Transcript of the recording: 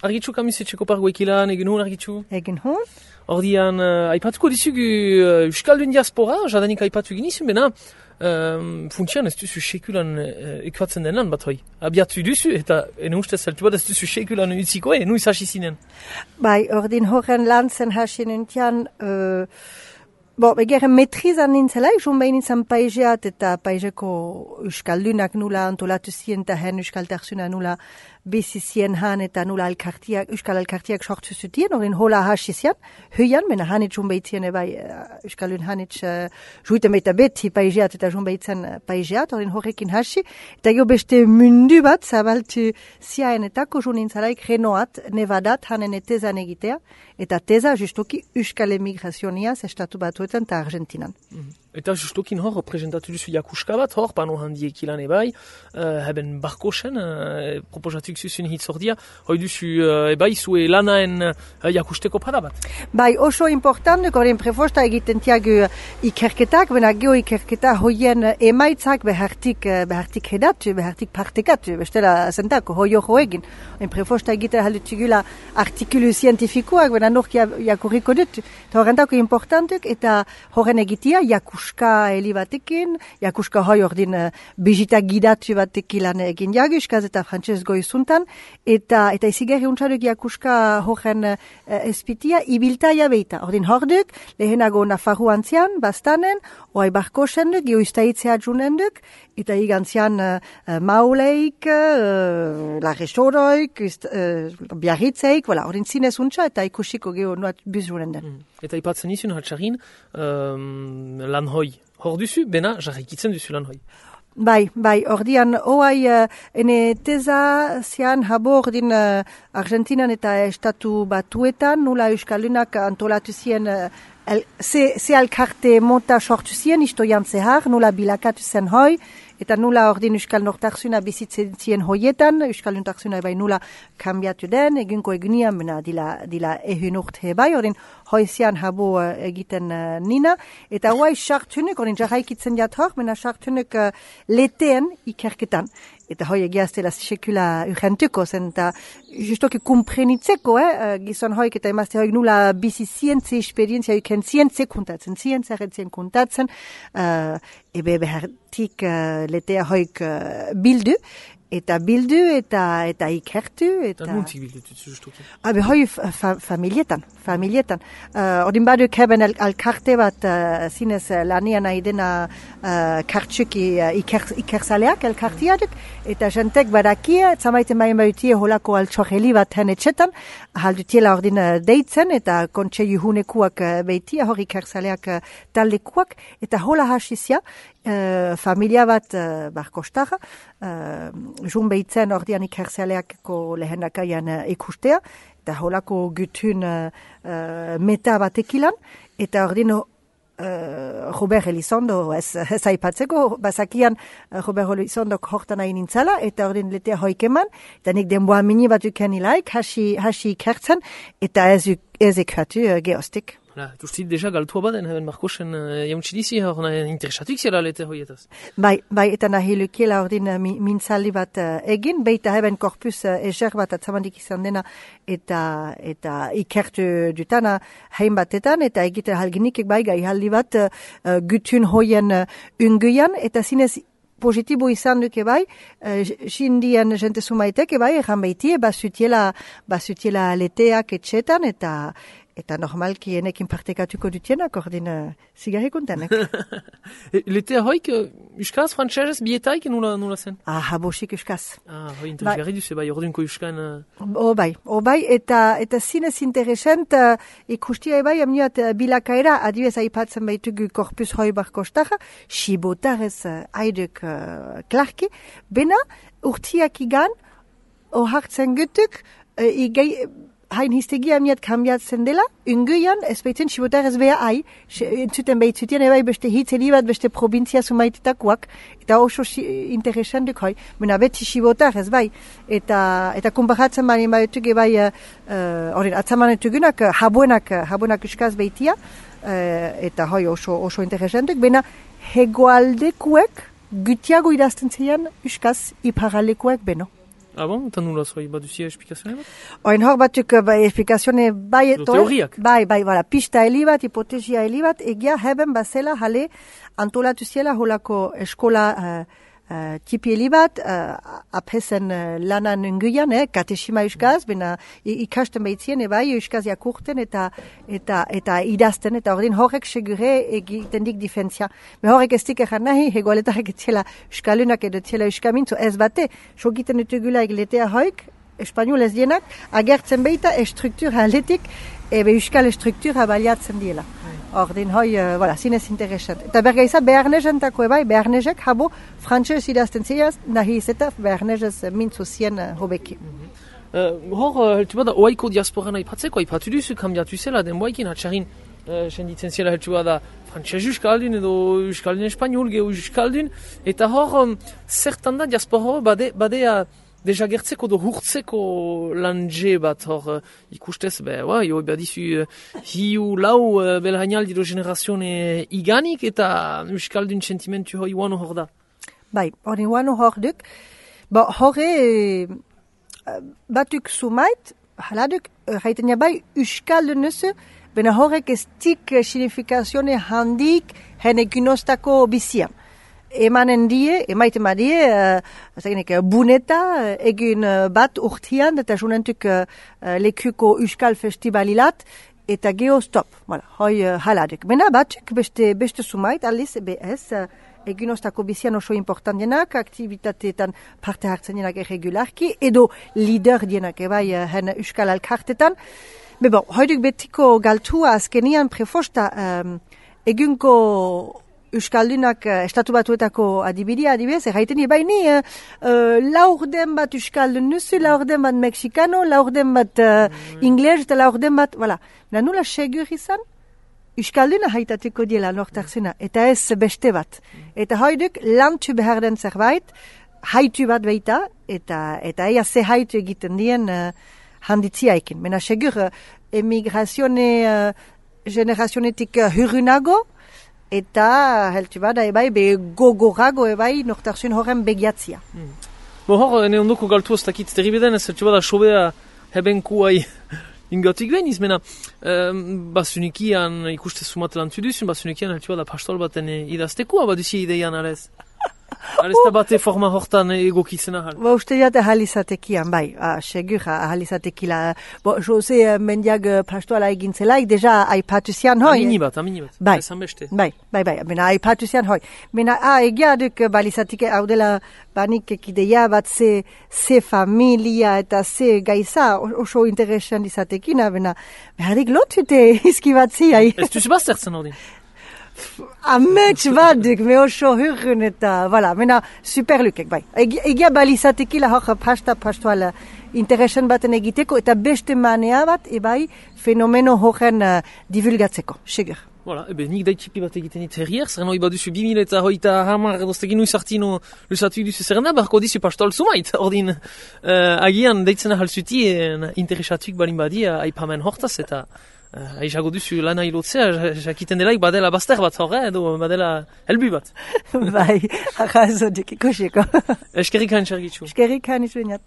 Argitxu kamisetxeko pargoekilan, egin hon argitxu? Egin hon. Ordian, aipatuko dizugu Euskaldun diaspora, jadanik aipatu ginizun, bena, funtsian ez duzu sekulan ekuatzen denan bat hoi. Abiatu duzu, eta ene ustez zeltu bat ez duzu sekulan utziko, nuiz hasi zinen? Bai, ordin horren lan zen hasi nintian, begeren metrizan nintzelai, jun behin nintzen paizeat eta paizeko Euskaldunak nula antolatu zien eta hen Euskaltarsuna nula bizi zien han eta nula Euskal Alkartiak sortu zutien, ordin hola hasi zian, huian, mena hanitz jun behitzien ebai Euskaldun hanitz juiten baita beti paizeat eta jun behitzen paizeat, ordin horrekin hasi, eta jo beste mundu bat zabaltu ziaenetako jun nintzelaik renoat, nevadat, hanen tezan egitea, eta teza justoki Euskal Emigrazioniaz estatu batuetan eta Argentinan. Eta justokin hor, presentatu duzu jakuska bat, hor, pano handiek ilan ebai, heben barkosen, proposatuk zuzun hitzordia, hoi duzu ebai zue lanaen jakusteko pada bat. Bai, oso importantuk, horien prefosta egiten tiagu ikerketak, bena geho ikerketa hoien emaitzak behartik hedatu, behartik partekatu, bestela zentako, hoi hor egin. Horien prefosta egiten haldutugula artikulu zientifikoak, bena nork jakurriko dut. Eta horrentako importantuk, eta horren egitea jakuska heli batekin, jakuska hoi ordin bizita gidatu batekilan egin jaguskaz eta frantxez goizuntan, eta izigarri untsaduk jakuska horren espitia ibiltaia beita. Ordin horduk, lehenago Nafarru antzian, bastanen, oai barkosen duk, geoiztaitzea junen duk, eta igantzian mauleik, larresoroik, biarritzeik, ordin zinez untsa, eta ikusiko geho nuat bizuren den. Eta ipatzen izun hatxarin, lan hoi. Hor duzu, bena, jarrikitzen duzu lan hoi. Bai, ordian, oai, ene teza zian habo ordin Argentinan eta estatu batuetan, nula Euskaldunak antolatu zien ze alkarte monta sortu zien, istoian zehar, nula bilakatu zen hoi, eta nula ordin Euskal Nortarsuna bizitzen zien hoietan, Euskal Nortarsuna bai nula kambiatu den, egunko egunian, bena dila ehun urte bai, ordin hoizian habo egiten nina, eta hoai sartunek, ordin jarraikitzen jat hor, bena sartunek leteen ikerketan. Eta hoi egiaztela sekula urgentuko zen, eta justoki kumprenitzeko, gizon hoik eta emazte hoik nula bizi zientze esperientzia uken zientze kontatzen, ebe behartik letea hoik bildu, eta ikertu. Eta nuntzik bildutu justoki? Hoi familietan. Ordin baduk heben alkarte bat zinez lanian nahi dena kartsuki ikerzaleak elkartiaduk, eta jentek badakia, zamaiten baien bautie holako altxorreli bat hen etxetan, haldutiela ordin deitzen, eta kontxe juhunekuak beitia, hor ikerzaleak taldekuak, eta hola hasizia, familia bat barkostara, jun behitzen ordian ikerzaleako lehenakaian ikustea, eta holako gutun meta batekilan, eta ordin Robert Elizondo, ez aipatzeko, bazakian Robert Elizondok hortan nahi nintzala, eta ordin letea hoikeman, eta nik denboa mini bat uken ilaik, hasi ikertzen, eta ez ekratu geostik. Tuztit deja galtua baden, heben Markosen jauntzidizi, hor interesatuk zela lete hoietaz. Bai, eta nahi lukiela ordin mintzaldi bat egin, beita heben korpus ezer bat atzamandik izan dena, eta ikertu dutana hain batetan, eta egite halginikek bai gai haldi bat gutun hoien unguian, eta zinez positibo izan duke bai, xindien jente sumaitek bai, erran baitie, basutiela leteak etxetan, eta normalki enekin partekatuko dutienak, ordin zigarri kontenek. Letea hoik, euskaz, frantxerez, bietaik nula zen? Habosik euskaz. Hoi interesgarri duze, bai, ordinko euskan... Bai, eta zinez interesant, ikustia bai, amniat bilakaera, adibez aipatzen baitugu korpus hoi barkostaja, sibotarez haiduk klarki, bena urtiak igan, ohartzen gutuk, hain histegia miat kambiatzen dela, unguian, ez baitzen sibotarez beha hai, entzuten behitzutien ebai beste hitzeli bat, beste provintzia sumaitetakoak, eta oso interesanduk hoi, mena beti sibotarez bai, eta kumparatzen bani baitugu bai, atzamanetugunak, habuenak uskaz behitia, eta hoi oso interesanduk, bena hegoaldekuek, gutiago idazten zeian uskaz iparalekuek beno. Ah bon? Eta nula zoi, baduzia esplikazioa bat? Oin hor batuk esplikazione bai teoriak. Bai, voilà, pista heli bat, hipotesia heli bat, egia heben bazela jale antolatu ziela holako eskola tipi heli bat, apesen lanan unguian, katesima euskaz, bena ikasten behitzien, bai, euskaz jakurten eta idazten, eta ordin horrek segure egiten dik difentzia. Me horrek ez dik egan nahi, hegoaletarek etziela euskalunak edo etziela euskamintzu, ez bate, sogiten utugula egletea hoik, espanol ez dienak, agertzen behita struktura aletik, euskal struktura baliatzen diela. Ordin hoi, zinez interesant. Eta bergaiza, beharnezentako ebai, beharnezek habo frantxez idazten ziaz, nahi izeta beharnezez mintzu zien hobeki. Hor, heltu bada, oaiko diasporan aipatzeko, aipatu duzu, kambiatu zela, den boaikin, atxarin, senditzen zela heltu bada, frantxez euskaldun edo euskaldun espanol, geho euskaldun, eta hor, zertan da diaspora badea, deja gertzeko do hurtzeko lanje bat hor ikustez, jo badizu hiu lau belhainaldi do generazione iganik eta euskaldun sentimentu hoi uano hor da. Bai, hori uano hor duk. Horre batuk sumait, haladuk, haiten bai euskaldun nusu, bena horrek ez tik signifikazione handik hene gunostako bizian. Emaiten buneta, egin bat urtian, eta junentuk lekuko euskal festivalilat, eta geho stop. Hoi haladek. Bena batzuk beste sumait, aliz, egin ostako bizian oso importantienak, aktivitateetan parte hartzen dienak irregularki, edo lider dienak ebai hen euskal alkartetan. Hoiduk betiko galtua azkenian prefosta egunko euskaldunak estatu batuetako adibidez, erraiten baini laurden bat euskaldun nuzu, laurden bat mexikano, laurden bat ingles eta laurden bat, nula segur izan, euskalduna haitateko diela nortarzuna, eta ez beste bat. Eta hoiduk lantu behar den zerbait, haitu bat behita, eta eia ze haitu egiten dien handitziaikin. Mena segur emigrazione generazionetik hurrunago, eta heltu bada ebai gogorago ebai nortarzun horren begiatzia. Hor, ene ondoko galtu oztakit terribeden, ez heltu bada sobea hebenkuai ingotik behin izmena. Basunikian ikuste sumat lantu duzun, basunikian heltu bada pastol baten idaztekua, baduzi ideian arez. Arez da bate forma hortan egokitzen ahal. Uste jate ahalizatekian, bai, segur ahalizatekila. Jose mendiag pastoala egintzelaik, deja aipatuzian hoi. Amini bat. Bai, mena aipatuzian hoi. Mena, egia duk balizatike hau dela banik ekideia bat ze familia eta ze gaiza oso interesan izatekina, mena, beharik lotute izkibatzi. Ez duzu baztertzen hori? Amets baduk, me oso hurrun eta, mena, superlukek, bai. Egia balizatekila hor pastoala interesan baten egiteko, eta beste manea bat, ebai, fenomeno horren divulgatzeko, segur. Nik daitxipi bat egiten dit herrier, zerren hori baduzu 2000 eta hoita hamar doztegin uizartino lusatu duzu zerrena, barko dizu pastol sumait, ordin agian deitzen ahalzuti interesatuik balin badia aipamen hortaz eta aizago duzu lana hilotzea, jakiten delaik badela bazter bat horre, edo badela helbu bat. Bai, arrazo duk ikoseko. Eskerrik han txargitzu. Eskerrik han izuenat.